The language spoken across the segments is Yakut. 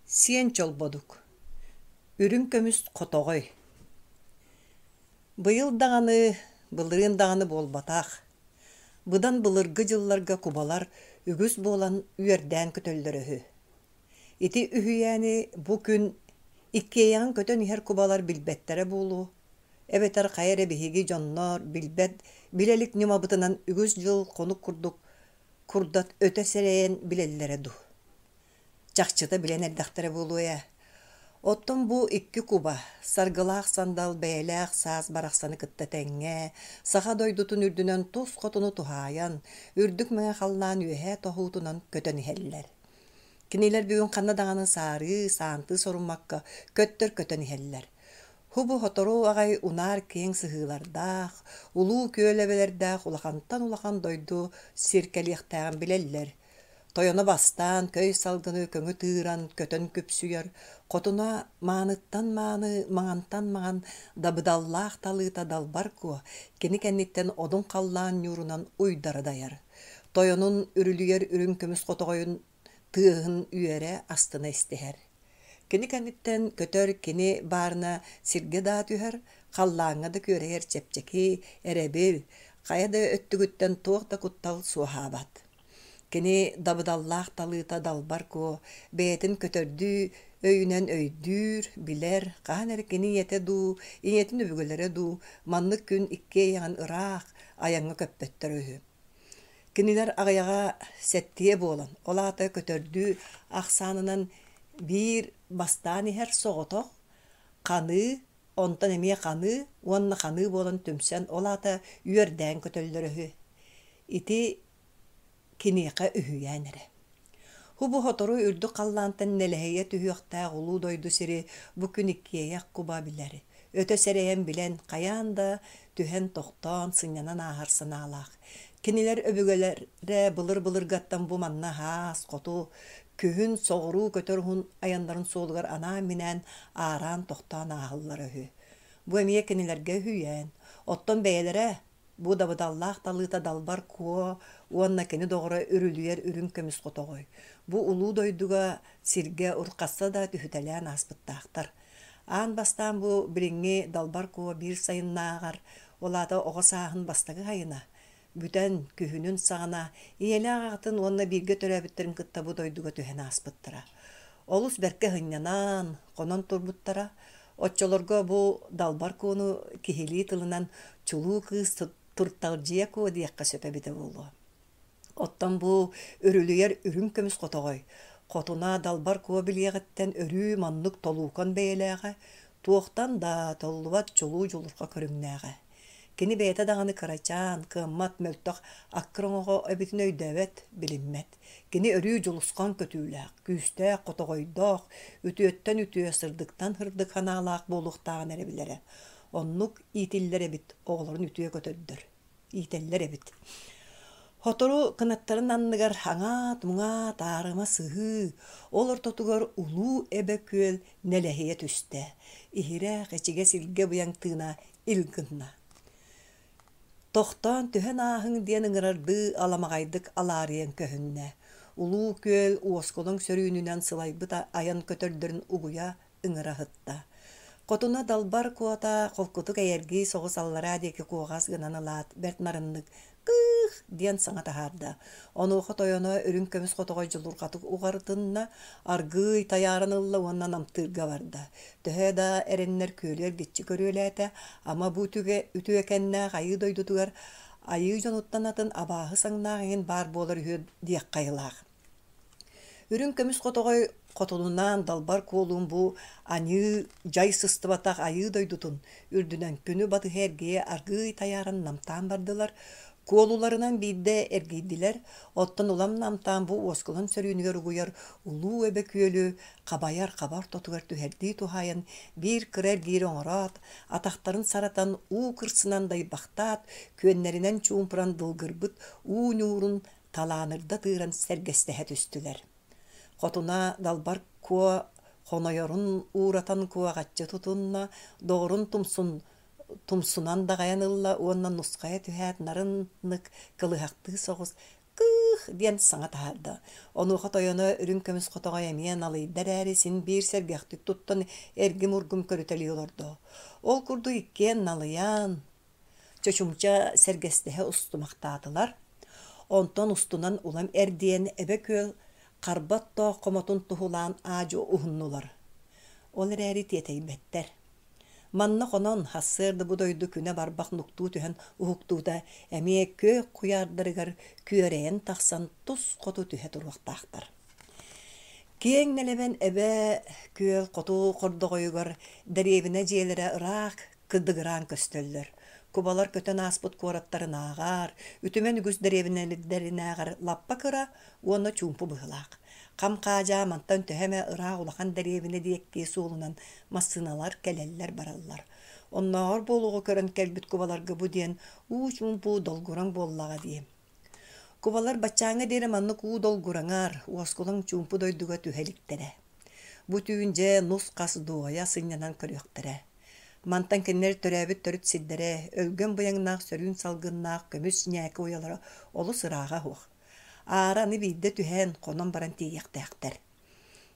Сиэн Чолбодук Үрүҥ көмүс хотоҕой Быйыл даҕаны, былырыын даҕаны буолбатах, быдан былыргы дьылларга кубалар үгүс буолан үөрдээн көтөллөрө үһү. Ити үһүйээни бу күн иккиэйэҕин көтөн иһэр кубалар билбэттэрэ буолуо, эбэтэр хайа эрэ биһиги дьоннор билбэт, билэ илик ньымабытынан үгүс дьыл хонук курдук курдат өтө сэрэйэн билэллэрэ дуу. Чахчыта билэн эрдэхтэрэ буолуо ээ. Оттон бу икки куба, саргылаах сандал бэйэлээх саас барахсаны кытта тэҥҥэ, саха дойдутун үрдүнэн тус хотуну туһаайан, үрдүк мэҥэ халлаан үөһээ тоһуутунан көтөн иһэллэр. Кинилэр бүгүн ханна даҕаны саарыы, саантыы соруммакка көттөр көтөн иһэллэр. Һубу сотору аҕай унаар киэҥ сыһыылардаах, улуу күөл эбэлэрдээх улахантан улахан дойду сир кэлиэхтээҕин билэллэр. Тойоно бастаан көй салгыны көҥү тыыран көтөн күпсүйэр, хотуна мааныттан мааны, маҥантан маҥан дабыдаллаах талыыта далбар куо, кини кэнниттэн одун халлаан ньуурунан уйдара дайар. Тойонун үрүлүйэр үрүҥ көмүс хотоҕойун тыаһын үөрэ астына истиһэр. Кини кэнниттэн көтөр кини баарына сиргэ даа түһэр, халлааҥҥа да күөрэйэр чэпчэки, эрэбил, хайа да өттүгүттэн туох да куттал суоһаабат. Кини дабыдаллаах талыыта далбар куо, бэйэтин көтөрдүү өйүнэн өйдүүр, билэр, хаһан эрэ кини ийэтэ дуу, ийэтин өбүгэлэрэ дуу маннык күн иккиэйэҕин ыраах айаҥҥа көппөттөрө үһү. Кинилэр аҕыйаҕа сэттиэ буолан, ол аата көтөрдүү ахсаанынан биир бастаан иһэр соҕотох ханыы, онтон эмиэ ханыы уонна ханыы буолан түмсэн, ол аата үөрдээн көтөллөрө үһү. Ити киниэхэ үһүйээн эрэ. Һубу сотору үрдүк халлаантан нэлэһийэ түһүөхтээх улуу дойду сири бу күн иккиэйэх куба билэр, өтө сэрэйэн билэн, хайаан да түһэн тохтоон, сынньанан ааһар санаалаах. Кинилэр өбүгэлэрэ былыр-былыргаттан бу манна аас, хоту, күһүн соҕуруу көтөр уһун айаннарын суолугар анаан-минээн аараан тохтоон ааһаллара үһү. Бу эмиэ кинилэргэ үһүйээн. Оттон бэйэлэрэ Бу дабыдаллаах талыыта Далбар Куо уонна кини доҕоро Үрүлүйэр үрүҥ көмүс хотоҕой. Бу улуу дойдуга сиргэ урхасса да түһүтэлээн ааспыттаахтар. Аан бастаан бу билиҥҥи Далбар Куо биир сайыннааҕар, ол аата оҕо сааһын бастакы сайына, бүтэн, күһүнүн саҕана ийэлээх аҕатын уонна бииргэ төрөөбүттэрин кытта бу дойдуга түһэн ааспыттара. Олус бэркэ сынньанан, хонон турбуттара. Оччолорго бу Далбар Куону киһилии тылынан чулуу кыыс Турталдьыйа Куо диэххэ сөп эбитэ буолуо. Оттон бу үрүлүйэр үрүҥ көмүс хотоҕой, хотуна Далбар Куо билиэҕиттэн өрүү маннык толуукан бэйэлээҕэ, туохтан да толлубат чулуу дьулурҕа көрүҥнээҕэ. Кини бэйэтэ даҕаны кырачаан, кыаммат, мөлтөх аккыр оҥоҕо эбитин өйдөөбөт, билиммэт. Кини өрүү дьулусхан көтүүлээх, күүстээх, хотоҕойдоох, үтүөттэн үтүө, сырдыктан сырдык санаалаах буолуохтааҕын эрэ билэрэ. Оннук иитиллэр эбит оҕолорун үтүө көтөрдөр, иитэллэр эбит. Сотору кынаттарын анныгар аҥаат-муҥаат аарыма сыһыы, ол ортотугар улуу эбэ күөл нэлэһийэ түстэ. Иһирэх, ичигэс илгэ быйаҥ тыына ил гынна. Тохтоон түһэн ааһыҥ диэн ыҥырардыы аламаҕайдык алаарыйан көһүннэ. Улуу күөл уоскулаҥ сөрүүнүнэн сылайбыт айан көтөрдөрүн угуйа ыҥыра сытта. Хотуна далбар куота холкутук эйэргии соҕус аллараа диэки куоҕас гынан ылаат, бэрт нарыннык «Кыых!» диэн саҥа таһаарда. Онуоха тойоно үрүҥ көмүс хотоҕой дьулурҕатык уҕарытынна, аргыый тайааран ылла уонна намтыырга барда. Төһө да эрэннэр күөлү эргиччи көрүөлээтэ, ама бу үтүгэ үтүөкэннээх айыы дойдутугар айыы дьонуттан атын абааһы саҥнаах иҥин баар буолар үһү диэххэ айылаах. Үрүҥ көмүс хотоҕой хотунунаан далбар куолуун бу аньыы дьай сыстыбатах айыы дойдутун үрдүнэн күнү батыһа эргийэ аргыый тайааран намтаан бардылар, куолуларынан биирдэ эргийдилэр, оттон улам намтаан бу уоскулаҥ сөрүүнүгэр угуйар улуу эбэ күөлү хабайар хаба ортотугар түһэрдии туһаайан биир кыра эргиири оҥороот, атахтарын саратан уу кырсынан дайбахтаат, күөннэринэн чуумпуран дылгырбыт уу ньуурун талаанырда тыыран сэргэстэһэ түстүлэр. Хотуна Далбар Куо хонойорун ууратан куоҕаччы тутунна, доҕорун тумсун тумсунан даҕайан ылла уонна нусхайа түһээт нарыннык кылыһахтыы соҕус Кыых! диэн саҥа таһаарда. Онуоха тойоно үрүҥ көмүс хотоҕой эмиэ налыйда эрээри син биир сэргэхтик туттан эргим-ургум көрүтэлии олордо. Ол курдук иккиэн налыйан, чочумча сэргэстэһэ устумахтаатылар. Онтон устунан улам эрдийэн Эбэ күөл харба оттоох хомотун туһулаан аа-дьуо уһуннулар. Ол эрээри тиэтэйбэттэр. Манна хонон, сарсыарда бу дойду күнэ барбах нуктуу түһэн уһуктуута эмиэ күөх куйаардарыгар күөрэйэн тахсан тус хоту түһэ туруохтаахтар. Киэҥ нэлэмэн эбэ күөл хоту хордоҕойугар дэриэбинэ дьиэлэрэ ыраах кыдыгыраан көстөллөр. Кубалар көтөн ааспыт куораттарынааҕар, үтүмэн үгүс дэриэбинэлэринээҕэр лаппа кыра уонна чуумпу быһыылаах. Хам-хаадьаа мантан төһө эмэ ыраах улахан дэриэбинэ диэки суолунан массыыналар кэлэллэр-бараллар. Оннооҕор буолуоҕу көрөн кэлбит кубаларга бу диэн уу-чуумпу долгураҥ буоллаҕа дии. Кубалар баччааҥҥа диэри маннык уу долгураҥар, уоскулаҥ чуумпу дойдуга түһэ иликтэрэ. Бу түүн дьэ нус-хас дуойа сынньанан көрүөхтэрэ. Мантан кинилэр төрөөбүт төрүт сирдэрэ, өлгөм быйаҥнаах сөрүүн салгыннаах көмүс ньээкэ уйалара олус ырааҕа суох. Аара аны биирдэ түһэн, хонон баран тиийиэхтээхтэр.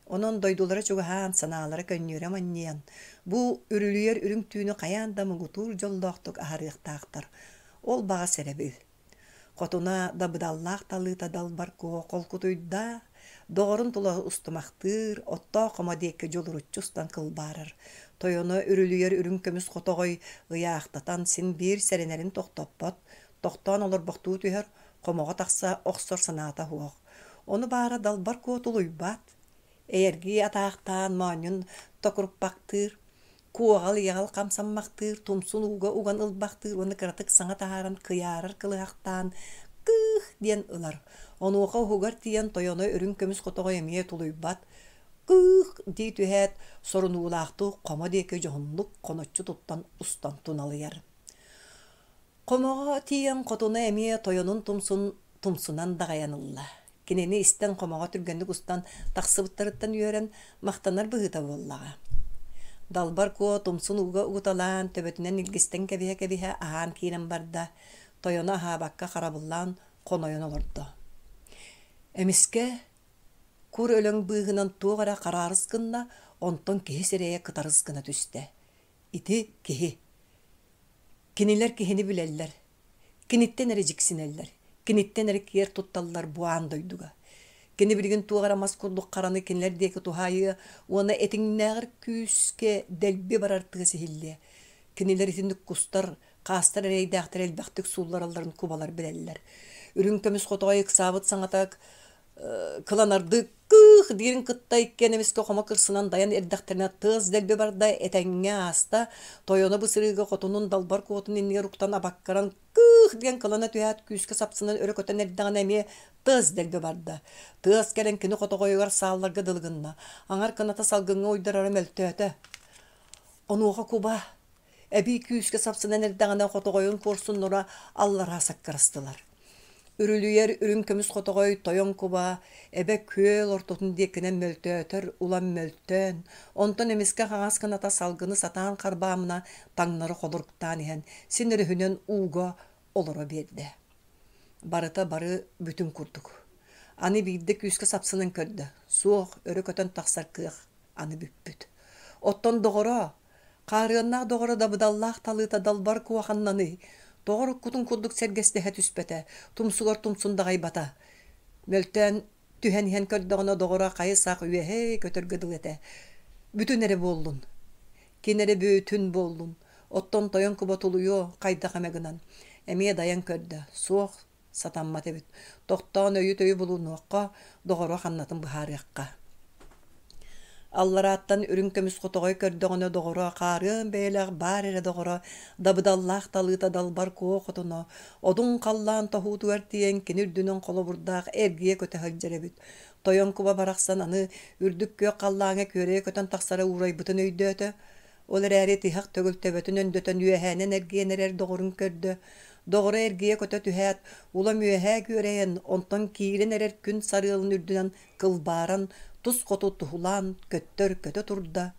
Онон дойдулара чугаһаан, санаалара көнньүөрэ манньыйан, бу үрүлүйэр үрүҥ түүнү хайаан да муҥутуур дьоллоохтук аһарыахтаахтар. Ол баҕас эрэбил. Хотуна дабыдаллаах талыыта далбар куо холкутуйда, доҕорун тула устумахтыыр, оттоох хомо диэки дьулуруччу устан кылбаарар. Тойоно үрүлүйэр үрүҥ көмүс хотоҕой ыйаахтатан син биир сэрэнэрин тохтоппот, тохтоон олорбохтуу түһэр, хомоҕо тахса охсор санаата суох. Ону баара далбар куо тулуйбат, эйэргии атаахтаан моонньун токуруппахтыыр, куоҕал-иэҕэл хамсаммахтыыр, тумсун ууга уган ылбахтыыр уонна кыратык саҥа таһааран кыйаарар кылыһахтаан «кыых» диэн ылар. Онуоха уһугар тиийэн тойоно үрүҥ көмүс хотоҕой эмиэ тулуйбат «кыых» дии түһээт, сорунуулаахтык хомо диэки дьоһуннук хоноччу туттан устан туналыйар. Хомоҕо тиийэн хотуна эмиэ тойонун тумсун тумсунан даҕайан ылла. Кинини истэн хомоҕо түргэнник устан тахсыбыттарыттан үөрэн, махтанар быһыыта буоллаҕа. Далбар Куо тумсун ууга угуталаан, төбөтүнэн илгистэн кэбиһэ-кэбиһэ аһаан киирэн барда, тойоно аһаабакка харабыллаан хонойон олордо. Эмискэ кур өлөҥ быыһынан туох эрэ хараарыс гынна, онтон киһи сирэйэ кытарыс гына түстэ. Ити киһи. Кинилэр киһини билэллэр, киниттэн эрэ дьиксинэллэр, киниттэн эрэ киэр тутталлар бу аан дойдуга. Кини билигин туох эрэ мас курдук хараны кинилэр диэки туһаайыа уонна этиҥнээҕэр күүскэ дэлби барар тыас иһиллиэ. Кинилэр итинник кустар, хаастар эрэйдээхтэр элбэхтик суулларалларын кубалар билэллэр. Үрүҥ көмүс хотоҕой ыксаабыт саҥата кыланардыы кыых диирин кытта иккиэн эмискэ хомо кырсынан дайан эрдэхтэринэ тыас дэлби барда, этэҥҥэ ааста, тойоно бу сырыыга хотунун далбар куотун иннигэр уктан абаккаран кыых диэн кылана түһээт күүскэ сапсынан өрө көтөн эрдэҕинэ эмиэ тыас дэлби барда. Тыас кэлэн кини хотоҕойугар саалларга дылы гынна. Аҥар кыната салгыҥҥа уйдарара мөлтөөтө. Онуоха куба Эбии күүскэ сапсынан эрдэҕинэ хотоҕойун куорсуннара аллараа саккырастылар. Үрүлүйэр үрүҥ көмүс хотоҕой тойон куба эбэ күөл ортотун диэкинэн мөлтөөтөр улам мөлтөөн, онтон эмискэ хаҥас кыната салгыны сатаан харбаамына таҥнары холоруктаан иһэн син өрүһүнэн ууга олоро биэрдэ. Барыта бары бүтүн курдук. Аны биирдэ күүскэ сапсынан көрдө, суох, өрө көтөн тахсар кыах аны бүппүт. Оттон доҕоро, Хаарыаннаах доҕоро дабыдаллаах талыыта далбар куоханнаный, тоҕо уруккутун курдук сэргэстэһэ түспэтэ, тумсугар тумсун даҕайбата. Мөлтөөн түһэн иһэн көрдөҕүнэ доҕоро хайы-сах үөһэ көтөргө дылы этэ. Бүтүн эрэ буоллун. Кини эрэ бүтүн буоллун. Оттон тойон куба тулуйуо хайдах эмэ гынан. Эмиэ дайан көрдө. Суох, сатаммат эбит. Тохтоон өйү-төйү булунуохха, доҕоро ханнатын быһаарыахха. Алларааттан үрүҥ көмүс хотоҕой көрдөҕүнэ доҕоро хаарыан бэйэлээх баар эрэ доҕоро, дабыдаллаах талыыта далбар куо хотуна, одун халлаан тоһуутугар тиийэн кини үрдүнэн холобурдаах эргийэ көтө сылдьар эбит. Тойон куба барахсан аны үрдүк күөх халлааҥҥа күөрэйэ көтөн тахсара уурайбытын өйдөөтө. Ол эрээри тиһэх төгүл төбөтүн өндөтөн үөһээнэн эргийэн эрэр доҕорун көрдө. Доҕоро эргийэ көтө түһээт, улам үөһээ күөрэйэн, онтон киирэн эрэр күн сарыалын үрдүнэн кылбааран, тус хоту туһулаан көттөр көтө турда,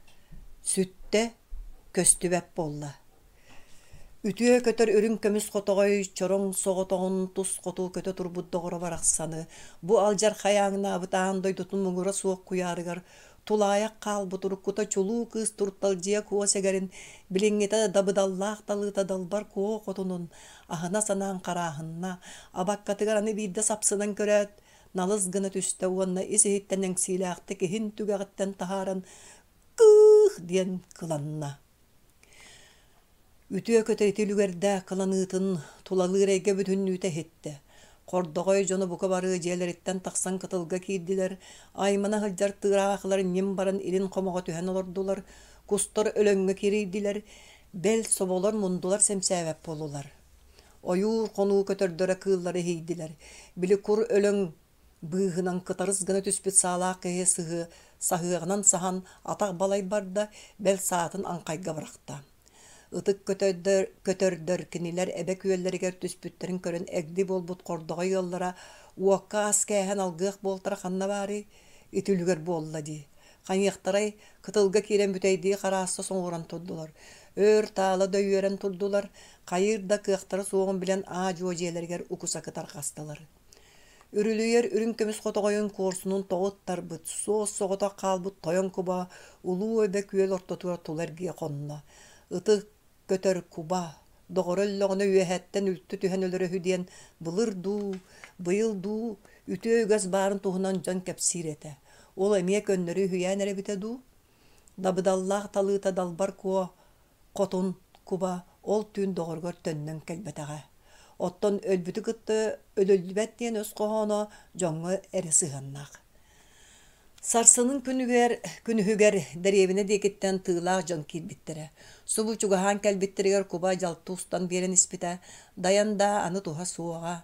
сүттэ, көстүбэт буолла. Үтүө көтөр үрүҥ көмүс хотоҕой чороҥ соҕотоҕун тус хоту көтө турбут доҕоро барахсаны бу алдьархай ааҥнаабыт аан дойдутун муҥура суох куйаарыгар тулаайах хаалбыт уруккута чулуу кыыс Турталдьыйа Куо сэгэрин билиҥҥитэ дабыдаллаах талыыта далбар Куо хотунун аһына санаан харааһынна, абаккатыгар аны биирдэ сапсынан көрөөт, налыс гына түстэ уонна ис-иһиттэн эҥсиилээхтик иһин түгэҕиттэн таһааран «Кыых!» диэн кыланна. Үтүө көтө ити үлүгэрдээх кыланыытын тулалыыр эйгэ бүтүннүүтэ иһиттэ. Хордоҕой дьоно бука бары дьиэлэриттэн тахсан кытылга киирдилэр, аймана сылдьар тыыраахылар ньим баран илин хомоҕо түһэн олордулар, кустар өлөҥҥө кирийдилэр, бэл соболор мундулар сэмсээбэт буоллулар. Ойуур хонуу көтөрдөрө кыыллары иһийдилэр, били кур өлөҥ Быыһынан кытарыс гына түспүт саалаах киһи сыһыа саһыаҕынан саһан атах балай барда, бэл саатын аҥхайга бырахта. Ытык көтөрдөр, көтөрдөр кинилэр эбэ күөллэригэр түспүттэрин көрөн эгди буолбут хордоҕой ыаллара уокка ас кээһэн алгыах буолтара ханна баарый? Ити үлүгэр буолла дии. Хайыахтарай, кытылга киирэн бүтэйдии харааста соҥуоран турдулар. Өөр таала да үөрэн турдулар, хайыыр да кыахтара суоҕун билэн аа-дьуо дьиэлэригэр укусакы тарҕастылар. Үрүлүйэр үрүҥ көмүс хотоҕойун куорсунун тоҕо ыттарбыт, суос-соҕотох хаалбыт тойон куба улуу эбэ күөл ортотугар тула эргийэ хонно. Ытык көтөр куба, доҕоро өллөҕүнэ үөһэттэн үлтү түһэн өлөрө үһү диэн былыр дуу, быйыл дуу үтүө үгэс баарын туһунан дьон кэпсиир этэ. Ол эмиэ көннөрү үһүйээн эрэ эбитэ дуу? Дабыдаллаах талыыта Далбар Куо Хотун куба ол түүн доҕоругар төннөн кэлбэтэҕэ. Оттон өлбүтү кытта өлөллүбэт диэн өс хоһооно дьоҥҥо эрэ сыһыаннаах. Сарсынын күнүгэр, күнүһүгэр дэриэбинэ диэкиттэн тыылаах дьон киирбиттэрэ. Субу чугаһаан кэлбиттэригэр куба дьалты устан биэрэн испитэ, дайан да аны туһа суоҕа.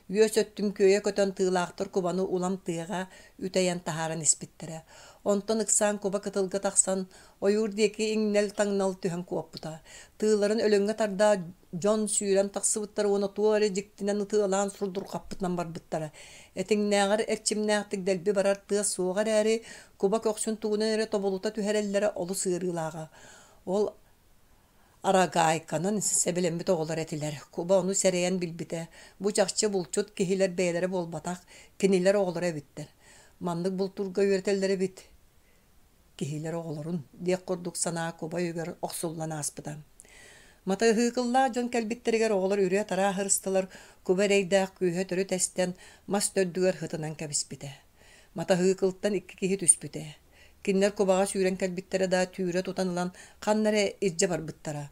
Үөс өттүн күөйэ көтөн тыылаахтар кубаны улам тыаҕа үтэйэн таһааран испиттэрэ. Онтон ыксаан куба кытылга тахсан Ойуур диэки иҥнэл-таҥнал түһэн куоппута. Тыыларын өлөҥҥө тардаат дьон сүүрэн тахсыбыттара уонна туох эрэ дьиктинэн ытыалаан сурдурҕаппытынан барбыттара. Этиҥнээҕэр эрчимнээхтик дэлби барар тыас суоҕа эрээри, куба көхсүн тугунан эрэ тобулута түһэрэллэрэ олус ыарыылааҕа. Ол арагаайканан сэбилэммит оҕолор этилэр. Куба ону сэрэйэн билбитэ. Бу чахчы булчут киһилэр бэйэлэрэ буолбатах, кинилэр оҕолоро эбиттэр. Маннык бултуурга үөрэтэллэр эбит киһилэр оҕолорун диэх курдук санаа куба өйүгэр охсуллан ааспыта. Матаһыыкыллаах дьон кэлбиттэригэр оҕолор үрүө-тараа ыһырыстылар, куба эрэйдээх күүһэ төрүт эстэн, мас төрдүгэр һытынан кэбиспитэ. Матаһыыкылтан икки киһи түспүтэ. Кинилэр кубаҕа сүүрэн кэлбиттэрэ да түүрэ тутан ылан ханна эрэ илдьэ барбыттара.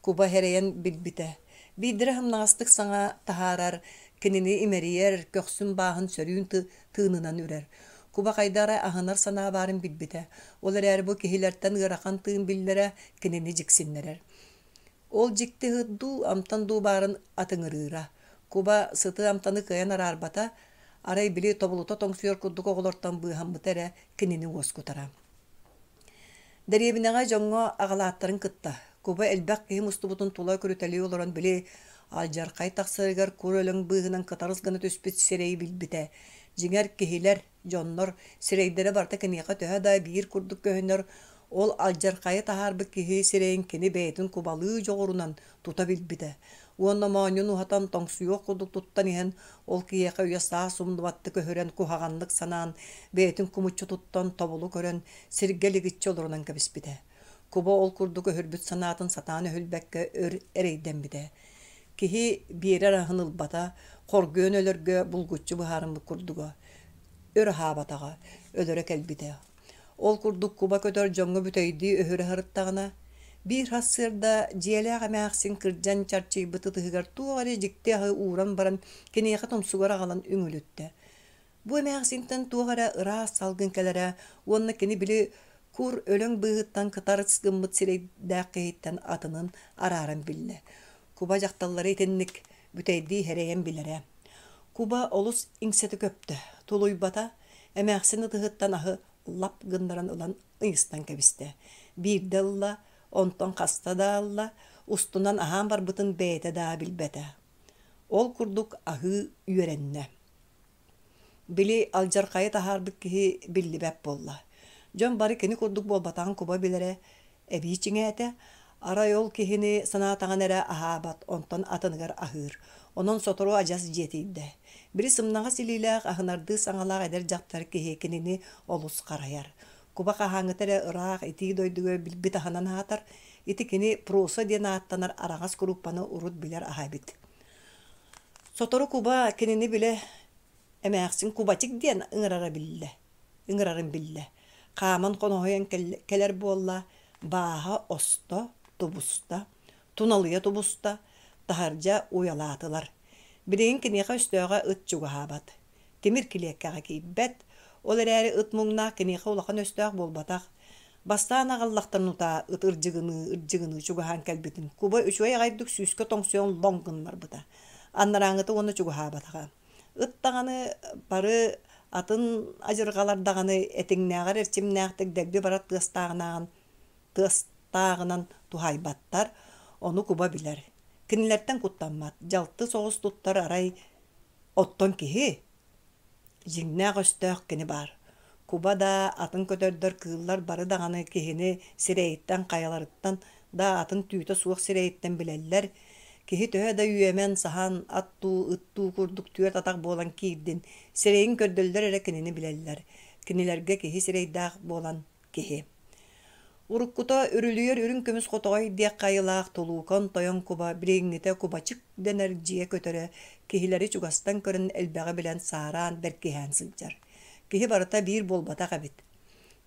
Куба эрэйэн билбитэ. Биирдэрэ сымнаҕастык саҥа таһаарар, кинини имэрийэр, көхсүн бааһын сөрүүн тыынынан үрэр. Куба хайда эрэ аһынар санаа баарын билбитэ. Ол эрээри бу киһилэртэн ыарахан тыын биллэрэ кинини дьиксиннэрэр. Ол дьикти ыһыт дуу, амтан дуу баарын атыҥырыыра. Куба сыты амтаны кыайан араарбата, арай били тобулута тоҥсуйар курдук оҕолортон быыһаммыта эрэ кинини уоскутара. Дэриэбинэҕэ дьоҥҥо аҕалааттарын кытта, куба элбэх киһи мустубутун тула көрүтэлии олорон били алдьархай тахсарыгар кур өлөҥ быыһынан кытарыс гына түспүт сирэйи билбитэ. Дьиҥэр, киһилэр, дьоннор сирэйдэрэ барыта киниэхэ төһө да биир курдук көһүнэр, ол алдьархайы таһаарбыт киһи сирэйин кини бэйэтин кубалыы дьоҕурунан тута билбитэ уонна моонньун уһатан тоҥсуйуох курдук туттан иһэн ол киһиэхэ үйэ-саас умнубаттык өһүрэн куһаҕаннык санаан бэйэтин кумуччу туттан тобулу көрөн сиргэ лигиччи олорунан кэбиспитэ. Куба ол курдук өһүрбүт санаатын сатаан өһүлбэккэ өр эрэйдэммитэ. Киһи биэрэр аһын ылбата, хоргуйан өлөргө булгуччу быһаарыммыт курдуга. Өр аһаабатаҕа, өлөрө кэлбитэ. Ол курдук куба көтөр дьоҥҥо бүтэйдии өһүрэ сырыттаҕына, биир сарсыарда дьиэлээх эмээхсин кырдьан чарчыйбыт ытыһыгар туох эрэ дьикти аһы ууран баран киниэхэ тумсугар аҕалан үҥүлүттэ. Бу эмээхсинтэн туох эрэ ыраас салгын кэлэрэ уонна кини били кур өлөҥ быыһыттан кытарыс гыммыт сирэйдээх киһиттэн атынын арааран биллэ. Куба дьахталлары итинник бүтэйдии эрэйэн билэрэ. Куба олус иҥсэтэ көптө, тулуйбата, эмээхсин ытыһыттан аһы лап гыннаран ылан ыйыстан кэбистэ. Биирдэ ылла, онтон хаста да ылла, устунан аһаан барбытын бэйэтэ да билбэтэ. Ол курдук аһыы үөрэннэ. Били алдьархайы таһаарбыт киһи биллибэт буолла. Дьон бары кини курдук буолбатаҕын куба билэрэ эбии чиҥээтэ. Арай ол киһини санаатаҕына эрэ аһаабат, онтон атыныгар аһыыр. Онон сотору адьас дьиэтийдэ. Били сымнаҕас илиилээх, аһынардыы саҥалаах эдэр дьахтар киһи кинини олус харайар. Куба хаһааҥҥыта эрэ ыраах итии дойдуга билбит аһынан аһатар. Ити кини просо диэн ааттанар араҕас куруппаны урут билэр аһа эбит. Сотору куба кинини билэ эмээхсин Кубачик диэн ыҥырара биллэ ыҥырарын биллэ. Хааман хоноһуйан кэлэр буолла, бааһа осто, тубуста, туналыйа тубуста, таһырдьа уйалаатылар. Билигин киниэхэ өстөөҕө ыт чугаһаабат. Тимир килиэккэҕэ киирбэт, ол эрээри ыт муҥнаах киниэхэ улахан өстөөх буолбатах. Бастаан аҕаллахтарын утаа ыт ырдьыгыныы-ырдьыгыныы чугаһаан кэлбитин куба үчүгэй аҕайдык сүүскэ тоҥсуйан лоҥ гыннарбыта. Анарааҥҥыта уонна чугаһаабатаҕа. Ыт даҕаны бары атын адьырҕалар даҕаны этиҥнээҕэр эрчимнээхтик дэлби барар тыастааҕынан тыастааҕынан туһаайбаттар, ону куба билэр. Кинилэртэн куттаммат, дьалты соҕус туттар арай оттон киһи Дьиҥнээх өстөөх кини баар. Куба да, атын көтөрдөр, кыыллар бары даҕаны киһини сирэйиттэн, хайаларыттан да атын түүтэ суох сирэйиттэн билэллэр. Киһи төһө да үөмэн, саһан, ат дуу, ыт дуу курдук түөрт атах буолан киирдин, сирэйин көрдөллөр эрэ кинини билэллэр. Кинилэргэ киһи сирэйдээх буолан киһи. Уруккута үрүлүйэр үрүҥ көмүс хотоҕой диэххэ айылаах тулуукан тойон куба билиҥҥитэ кубачык дэнэр дьиэ көтөрө киһилэри чугастан көрөн элбэҕи билэн саараан бэркиһээн сылдьар. Киһи барыта биир буолбатах эбит.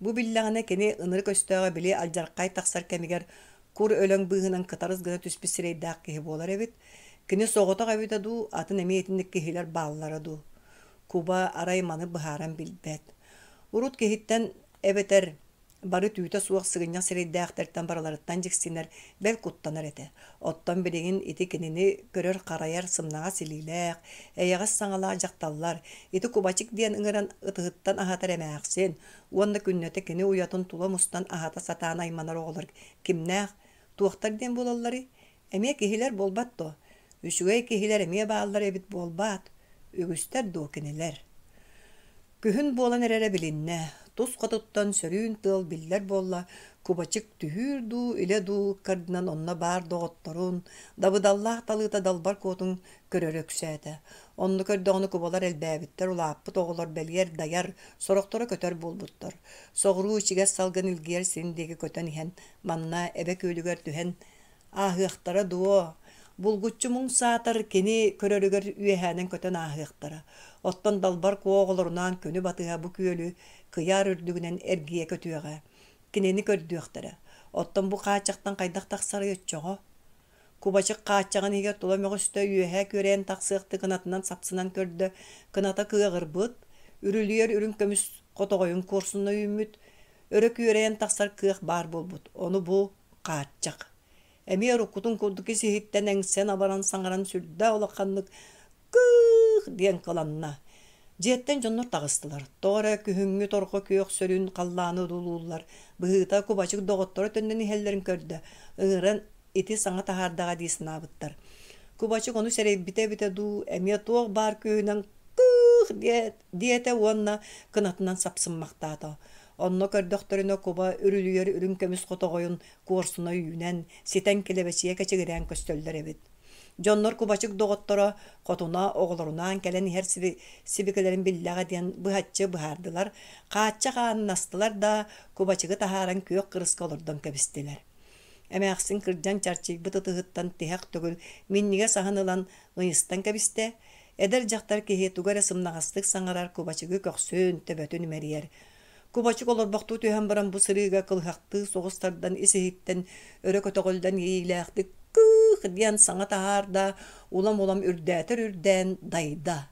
Бу биллэҕинэ кини ынырык өстөөҕө били алдьархай тахсар кэмигэр кур өлөҥ быыһынан кытарыс гына түспүт сирэйдээх киһи буолар эбит. Кини соҕотох эбитэ дуу, атын эмиэ итинник киһилэр бааллара дуу. Куба арай маны быһааран билбэт. Урут киһиттэн эбэтэр бары түүтэ суох сыгынньах сирэйдээхтэртэн барыларыттан дьиксинэр, бэл куттанар этэ. Оттон билигин ити кинини көрөр-харайар сымнаҕас илиилээх, эйэҕэс саҥалаах дьахталлар, ити Кубачик диэн ыҥыран ытыһыттан аһатар эмээхсин уонна күннэтэ кини уйатын тула мустан аһата сатаан айманар оҕолор кимнээх, туохтар диэн буолалларый? Эмиэ киһилэр буолбат дуо? Үчүгэй киһилэр эмиэ бааллар эбит буолбаат? Үгүстэр дуо кинилэр? Күһүн буолан эрэрэ билиннэ, тус хотуттан сөрүүн тыал биллэр буолла, кубачык түһүүр дуу, илэ дуу ыккардынан онно баар доҕотторун, дабыдаллаах талыыта далбар куотун көрөрө үксээтэ. Онно көрдөҕүнэ кубалар элбээбиттэр, улааппыт оҕолор бэлиэр дайар, сорохторо көтөр буолбуттар. Соҕуруу ичигэс салгын илгийэр сирин диэки көтөн иһэн, манна Эбэ күөлүгэр түһэн Ааһыахтара дуо, булгуччу муҥ саатар кини көрөрүгэр үөһээнэн көтөн ааһыахтара. Оттон Далбар Куо оҕолорунаан күнү батыһа бу күөлү кыйаар үрдүгүнэн эргийэ көтүөҕэ. Кинини көрдүөхтэрэ. Оттон бу хааччахтан хайдах тахсарый оччоҕо? Кубачык хааччаҕын иһигэр тула мөҕүстэ үөһэ күөрэйэн тахсыахтыы кынатынан сапсынан көрдө, кыната кыаҕырбыт, үрүлүйэр үрүҥ көмүс хотоҕойун куорсуна үүммүт, өрө күөрэйэн тахсар кыах баар буолбут. Ону бу хааччах. Эмиэ уруккутун курдук ис-иһиттэн эҥсэн-абаран саҥаран сүрдээх улаханнык «Кыых!» диэн кыланна. Дьиэттэн дьоннор таҕыстылар. Тоҕо эрэ күһүҥҥү торҕо күөх сөрүүн халлааны одуулууллар. Быһыыта кубачык доҕотторо төннөн иһэллэрин көрдө. Ыҥыран ити саҥа таһаардаҕа дии санаабыттар. Кубачык ону сэрэйбитэ эбитэ дуу, эмиэ туох баар күүһүнэн «Кыых!» диэтэ уонна кынатынан сапсыммахтаата. Онно көрдөхтөрүнэ куба үрүлүйэр үрүҥ көмүс хотоҕойун куорсуна үүнэн, ситэн килэбэчийэ кэчигирээн көстөллөр эбит. Дьоннор кубачык доҕотторо хотуна оҕолорунаан кэлэн иһэр сибикилэрин биллэҕэ диэн быһаччы быһаардылар, хааччах аанын астылар да, кубачыгы таһааран күөх кырыска олордон кэбистилэр. Эмээхсин кырдьан чарчыйбыт ытыһыттан тиһэх төгүл минньигэс аһын ылан ыйыстан кэбистэ, Эдэр дьахтар киһи тугу эрэ сымнаҕастык саҥарар кубачыгы көхсүн, төбөтүн имэрийэр. Кубачык олорбохтуу түһэн баран бу сырыыга кылыһахтыы соҕус тардан ис-иһиттэн өрө көтөҕүллэн иэйиилээхтик «кыых» диэн саҥа таһаарда, улам-улам үрдээтэр үрдээн дайда.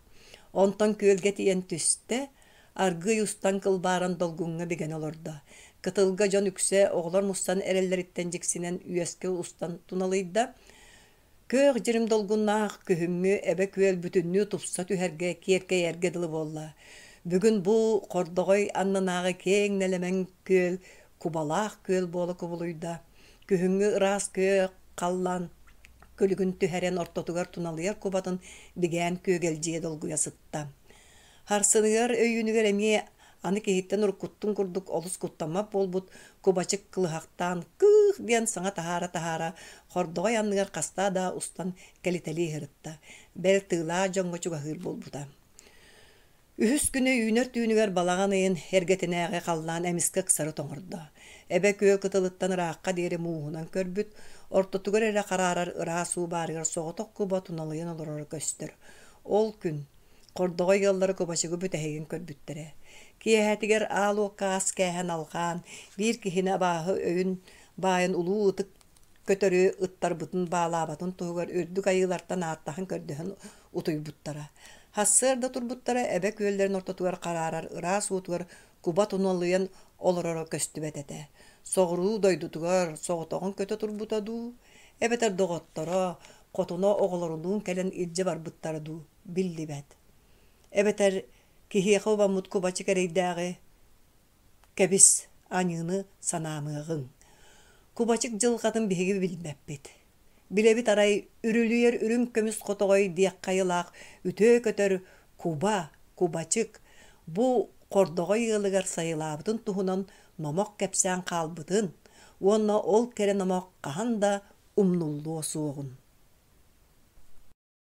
Онтон күөлгэ тиийэн түстэ, аргыый устан кылбааран долгуҥҥа бигэнэ олордо. Кытылга дьон үксэ оҕолор мустан эрэллэриттэн дьиксинэн үөскэ устан туналыйда. Күөх дьирим долгуннаах күһүҥҥү эбэ күөл бүтүннүү тупса түһэргэ, киэркэйэргэ дылы буолла. Бүгүн бу хордоҕой аннынааҕы киэҥ нэлэмэн күөл кубалаах күөл буола кубулуйда. Күһүҥҥү ыраас күөх халлаан күлүгүн түһэрэн ортотугар туналыйар кубатын бигээн күөгэлдьийэ долгуйа сытта. Харсыныгар өйүүнүгэр эмиэ Аны киһиттэн уруккуттун курдук олус куттаммат буолбут кубачык кылыһахтаан «кыых» диэн саҥа таһаара-таһаара хордоҕой анныгар хастаа да устан кэлитэлии сырытта, бэл тыылаах дьоҥҥо чугаһыыр буолбута. Үһүс күнэ үүнэр түүнүгэр балаҕан ыйын эргэтинээҕи халлаан эмискэ ыксары тоҥордо. Эбэ күөл кытылыттан ыраахха диэри мууһунан көрбүт, ортотугар эрэ хараарар ыраас уу баарыгар соҕотох куба туналыйан олороро көстөр. Ол күн Хордоҕой ыаллара кубачыгы бүтэһигин көрбүттэрэ. Киэһэтигэр аал уокка ас кээһэн алҕаан, биир киһини абааһы өйүн баайын улуу ытык көтөрү ыттарбытын баалаабатын туһугар үрдүк айыылартан ааттаһан-көрдөһөн утуйбуттара. Сарсыарда турбуттара эбэ күөллэрин ортотугар хараарар ыраас уутугар куба туналыйан олороро көстүбэт этэ. Соҕуруу дойдутугар соҕотоҕун көтө турбута дуу, эбэтэр доҕотторо, хотуна оҕолорунуун кэлэн илдьэ барбыттара дуу биллибэт. Эбэтэр киһиэхэ убаммыт кубачык эрэйдээҕи кэбис, аньыыны санаамыаҕыҥ. Кубачык дьылҕатын биһиги билбэппит. Билэбит арай үрүлүйэр үрүҥ көмүс хотоҕой диэххэ айылаах үтүө көтөр куба, кубачык бу хордоҕой ыалыгар сайылаабытын туһунан номох кэпсээн хаалбытын уонна ол кэрэ номох хаһан да умнуллуо суоҕун.